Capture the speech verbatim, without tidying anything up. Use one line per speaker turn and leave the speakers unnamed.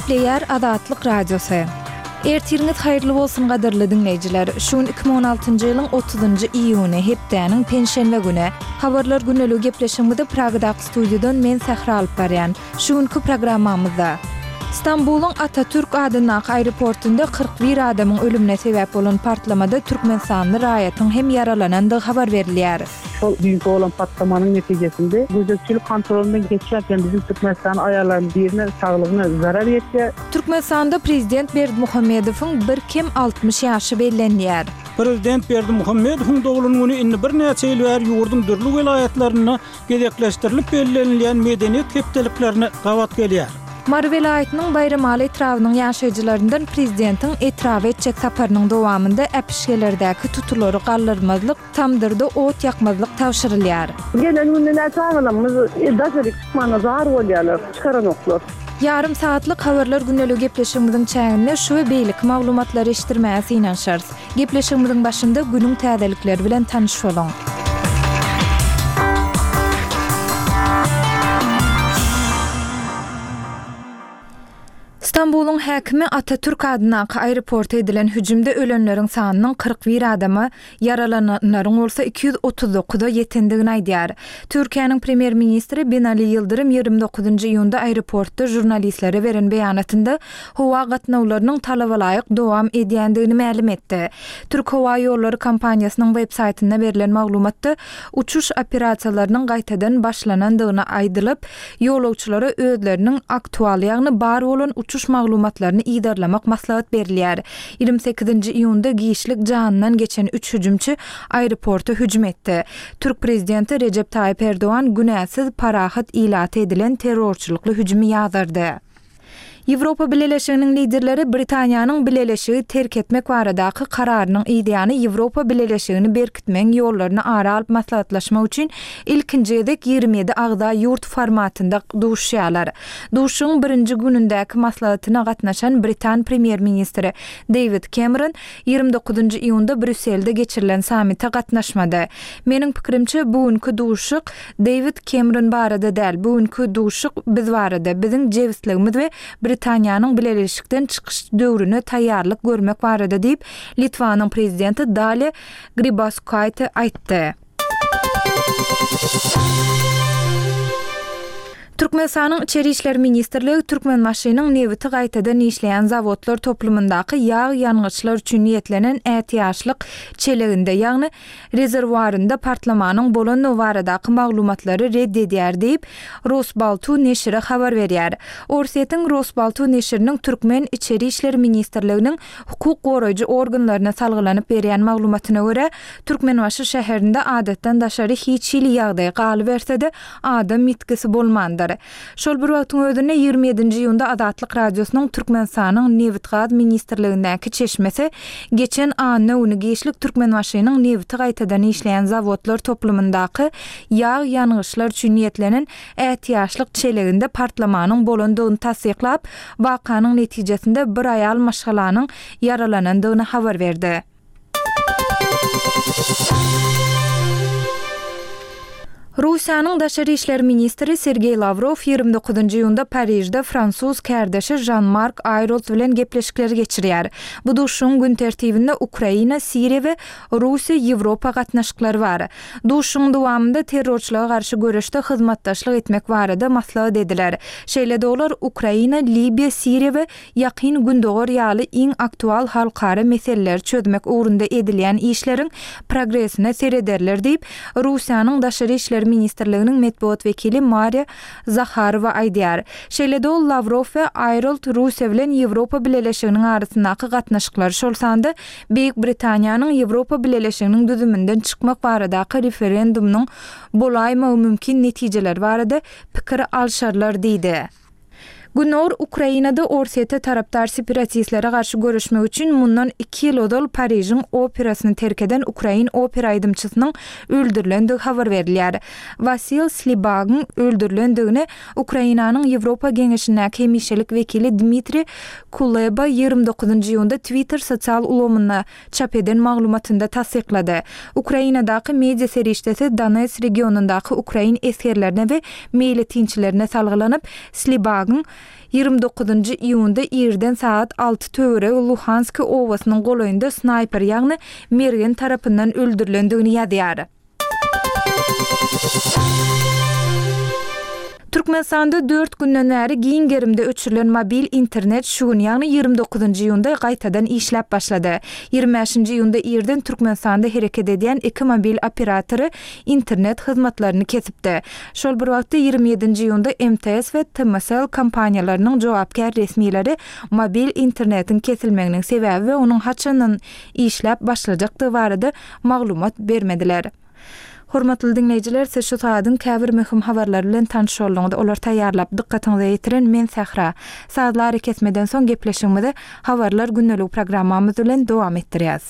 Gepleýär Azatlyk Radiosy. Ertiriňiz haýyrly bolsun gadyrly diňleýjiler. Şu gün iki müň on altynjy ýylyň otuzynjy iýuny, hepdäniň penşenbe güni. Habarlar güneligi gepleşigimizi Pragadaky studiýadan men Sähra alyp barýan. Şu günki programmamyzda Stambulyň Atatürk adyndaky aeroportunda kyrk bir adamyň ölümine sebäp bolan partlamada Türkmenistanly raýatyň hem ýaralanandygy habar berilýär.
Şol düýnki bolan partlamanyň netijesinde gözegçilik kontrolundan geçýärken bizim Türkmenistan aýallaryň birine saglygyna zarar ýetýär.
Türkmenistanda prezident Berdimuhamedowyň bir kem altmyş ýaşy bellenýär.
Prezident Berdimuhamedowyň doglan güni indi birnäçe ýyl bäri ýurduň dürli welaýatlarynda gezekleşdirilip bellenilýän medeniýet hepdeliklerine gabat gelýär.
Mary welaýatynyň Baýramaly etrabynyň ýaşaýjylaryndan prezidentiň etraba etjek saparynyň dowamynda äpişgelerdäki tutulary galdyrmazlyk, tamdyrda ot ýakmazlyk tabşyrylýar.
Gelen günde näçe agalamyz daşary çykmana zar bolýarlar, çykaranoklar.
Ýarym saatlyk habarlar güneligi gepleşigimiziň çäginde şu we beýleki maglumatlary eşitdirmäge synanyşarys. Gepleşigimiziň başynda günüň täzelikleri bilen tanyş boluň. Stambulyň häkimi Atatürk adyndaky aeroporta edilen hüjümde ölenleriň sanynyň kyrk bir adama, ýaralananlaryň bolsa iki ýüz otuz dokuza ýetendigini aýdýar. Türkiýäniň premýer-ministri Binali Ýyldyrym ýigrimi dokuzynjy iýunda aeroportda žurnalistlere beren beýanatynda howa gatnawlarynyň talabalaýyk dowam edýändigini mälim etdi. Türk Howa Ýollary kompaniýasynyň web saýtynda berlen maglumatda uçuş operasiýalarynyň gaýtadan başlanandygyny aýdylyp, ýolagçylara özleriniň aktual, ýagny bar bolan uçuş maglumatlaryny yzarlamak maslahat berilýär. Ýigrimi sekizinji iýunda giçlik janyndan geçen üç hüjümçi aeroporta hüjüm etdi. Türk prezidenti Recep Tayyip Erdoğan günäsiz parahat ilaty edilen terrorçylykly hüjümi ýazardy. Ýewropa Bileleşiginiň liderleri Britaniýanyň Bileleşigi terk etmek baradaky kararynyň ýany Ýewropa Bileleşigini berkitmegiň ýollaryny ara alyp maslahatlaşmak üçin ilkinji gezek ýigrimi ýedi agza ýurt formatynda duşýarlar. Duşuň birinji günündäki maslahatyna gatnaşan Britan premýer-ministri David Cameron ýigrimi dokuzynjy iýunda Brýusselde geçirilen sammite gatnaşmady. Meniň pikirimçe bu günki duşuk David Cameron barada däl, bu günki duşuk biz barada, biziň jebisligimiz we Britaniýanyň Bileleşikden çykyş döwrüne taýýarlyk görmek barada diýip, Litwanyň prezidenti Dalia Grybauskaite aýtdy. Türkmenistanyň İçeri İşler Ministrligi Türkmenbaşynyň nebiti gaýtadan işleýän zawodlar toplumyndaky ýag ýangyçlar üçin niýetlenen ätiýaçlyk çeleginde, ýagny rezerwuarynda partlamanyň bolandygy baradaky maglumatlary red edýär diýip, Rosbaltu neşiri habar berýär. Orsýetiň Rosbaltu neşiriniň Türkmen İçeri İşler Ministrliginiň hukuk goraýjy organlaryna salgylanyp berýän maglumatyna görä, Türkmenbaşy şäherinde adatdan daşary hiç hili ýagdaý galyberse-de adam ýitgisi bolmandyr. Şol bir wagtyň özünde ýigrimi ýedinji iýunda Azatlyk Radiosynyň Türkmenistanyň Nebitgaz Ministrligindäki çeşmesi geçen anna güni giçlik Türkmenbaşynyň nebiti gaýtadan işleýän zawodlar toplumyndaky ýag ýangyçlar üçin niýetlenen ätiýaçlyk çeleginde partlamanyň bolandygyny tassyklap, wakanyň netijesinde bir aýal maşgalanyň ýaralanandygyny habar berdi. Russiýanyň Daşary İşler Ministri Sergey Lavrov ýigrimi dokuzynjy iýunda Parižde fransuz kärdeşi Jean-Marc Ayrault bilen gepleşikleri geçirýär. Bu duşuň gün tertibinde Ukraina, Siriýa we Russiýa Ýewropa gatnaşyklary bar. Duşuň dowamynda terrorçylyga garşy göreşde hyzmatdaşlyk etmek barada maslahat ediler. Şeýle-de olar Ukraina, Libiýa, Siriýa we Ýakyn Gündogar ýaly iň aktual halkara meseleleri çözmek ugrunda edilýän işleriň progresine serederler diýip, Russiýanyň Daşary İşler Ministrliginiň metbugat wekili Mariya Zaharowa aýdýar. Şeýle-de ol Lavrov we Ayrault Russiýa bilen Ýewropa Bileleşiginiň arasyndaky gatnaşyklary, şol sanda Beýik Britaniýanyň Ýewropa Bileleşiginiň düzüminden çykmak baradaky referendumynyň bolaýmagy mümkin netijeleri barada pikir alşarlar diýdi. Günor Ukrainada Orsýete tarapdar separatistlere garşy görüşmek üçin mundan iki ýyl ozal Parižiň operasyny terk eden Ukrain opera aýdymçysynyň öldürilendigi habar berilýär. Wasil Slibagyň öldürilendigini Ukrainanyň Ýewropa Geňeşindäki hemişelik wekili Dmitri Kuleba ýigrimi dokuzynjy iýunda Twitter sosial ulgamynda çap eden maglumatynda tassyklady. Ukrainadaky media serişdesi Donetsk regionyndaky ukrain esgerlerine we meýletinçilerine salgylanyp, Slibagyň ýigrimi dokuzynjy iýunda irden sagat alty töweregi Luhanski obasynyň golaýynda snaýper, ýagny mergen tarapyndan öldürilendigini ýazýar. Türkmenistanda dört günden bäri giň gerimde öçürilen mobil internet şu gün, ýagny ýigrimi dokuzynjy iýunda gaýtadan işläp başlady. Ýigrimi bäşinji iýunda irden Türkmenistanda hereket edýän iki mobil operatory internet hyzmatlaryny kesipdi. Şol bir wagtda ýigrimi ýedinji iýunda M T S we T M S L kompaniýalarynyň jogapkär resmileri mobil internetiň kesilmeginiň sebäbi we onuň haçandan işläp başlajakdygy barada maglumat bermediler. Hormatly diňleýjiler, siz şu saadyň käbir möhüm habarlary bilen tanyş bolduňyz. Olar taýýarlap dykgatyňyza ýetiren men Sähra. Sazlary kesmeden soň gepleşigimizi habarlar gündelik programmamyz bilen dowam etdirýäs.